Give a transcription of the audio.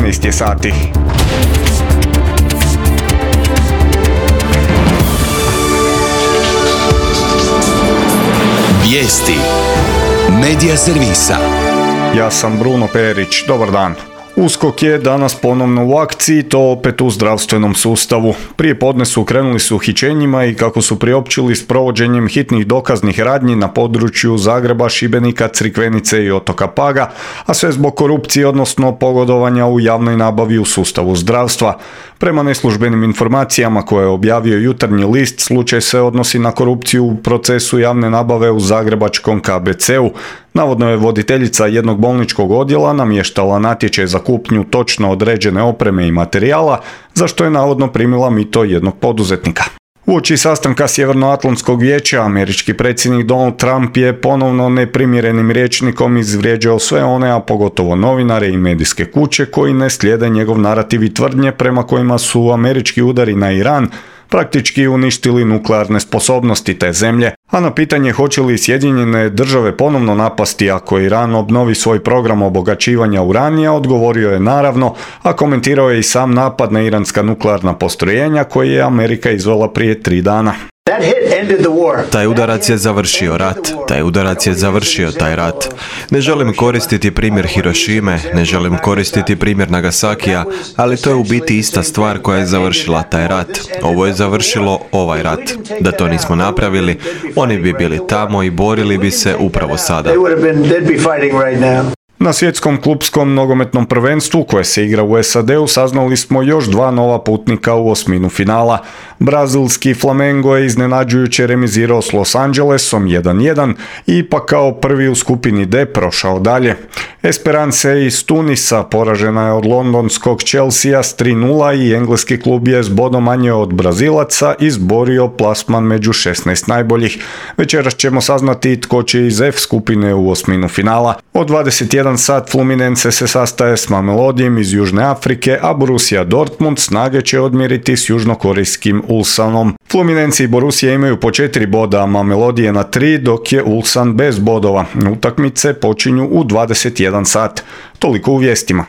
12 je sati. Vijesti Medija servisa. Ja sam Bruno Perić, dobar dan. USKOK je danas ponovno u akciji, to opet u zdravstvenom sustavu. Prije podne su krenuli s uhićenjima i kako su priopćili s provođenjem hitnih dokaznih radnji na području Zagreba, Šibenika, Crikvenice i otoka Paga, a sve zbog korupcije, odnosno pogodovanja u javnoj nabavi u sustavu zdravstva. Prema neslužbenim informacijama koje je objavio Jutarnji list, slučaj se odnosi na korupciju u procesu javne nabave u zagrebačkom KBC-u. Navodno je voditeljica jednog bolničkog odjela namještala natječaj za kupnju točno određene opreme i materijala, za što je navodno primila mito jednog poduzetnika. Uoči sastanka Sjevernoatlantskog vijeća, američki predsjednik Donald Trump je ponovno neprimjerenim rječnikom izvrijeđao sve one, a pogotovo novinare i medijske kuće koji ne slijede njegov narativ i tvrdnje prema kojima su američki udari na Iran praktički uništili nuklearne sposobnosti te zemlje, a na pitanje hoće li Sjedinjene države ponovno napasti ako Iran obnovi svoj program obogaćivanja uranija, odgovorio je naravno, a komentirao je i sam napad na iranska nuklearna postrojenja koje je Amerika izvela prije 3 dana. Taj udarac je završio rat. Taj udarac je završio taj rat. Ne želim koristiti primjer Hirošime, ne želim koristiti primjer Nagasakija, ali to je u biti ista stvar koja je završila taj rat. Ovo je završilo ovaj rat. Da to nismo napravili, oni bi bili tamo i borili bi se upravo sada. Na svjetskom klupskom nogometnom prvenstvu koje se igra u SAD-u saznali smo još 2 nova putnika u osminu finala. Brazilski Flamengo je iznenađujuće remizirao s Los Angelesom 1-1 i ipak kao prvi u skupini D prošao dalje. Esperance iz Tunisa poražena je od londonskog Chelsea s 3-0 i engleski klub je s bodom manje od Brazilaca izborio plasman među 16 najboljih. Večeras ćemo saznati tko će iz F skupine u osminu finala. Od 21 sat Fluminense se sastaje s Mamelodijem iz Južne Afrike, a Borussia Dortmund snage će odmjeriti s južnokorejskim Ulsanom. Fluminense i Borussia imaju po 4 boda, a Mamelodi je na 3, dok je Ulsan bez bodova. Utakmice počinju u 21 sat. Toliko u vijestima.